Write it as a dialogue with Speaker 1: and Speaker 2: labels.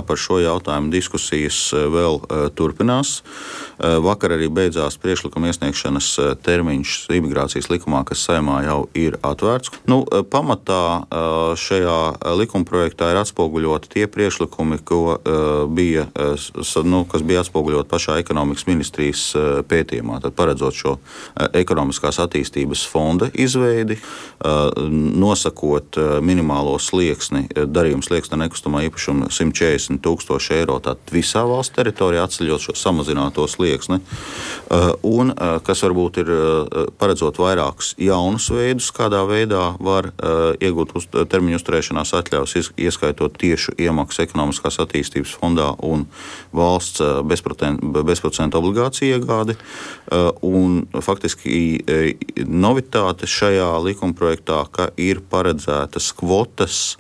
Speaker 1: par šo jautājumu diskusijas vēl turpinās. Vakar arī beidzās priekšlikuma iesniegšanas termiņš imigrācijas likumā, kas Saeimā jau ir atvērts. Pamatā šajā likumprojektā ir atspoguļoti tie priekšlikumi, kas bija atspoguļoti pašā ekonomikas ministrijas pētījumā, tad paredzot šo ekonomiskās attīstības fonda izveidi, nosakot minimālo slieksni, darījuma slieksni nekustamā īpašuma 140,000 eiro, tātad visā valsts teritorijā atceļot šo samazināto slieksni, un kas varbūt ir paredzot vairākus jaunus veidus, kādā veidā var iegūt termiņu uzturēšanās atļaus, ieskaitot tiešu iemaksu ekonomiskās attīstības fondā un valsts bezprocentu obligāciju iegādi. Un faktiski novitāte šajā likumprojektā, ka ir paredzētas kvotas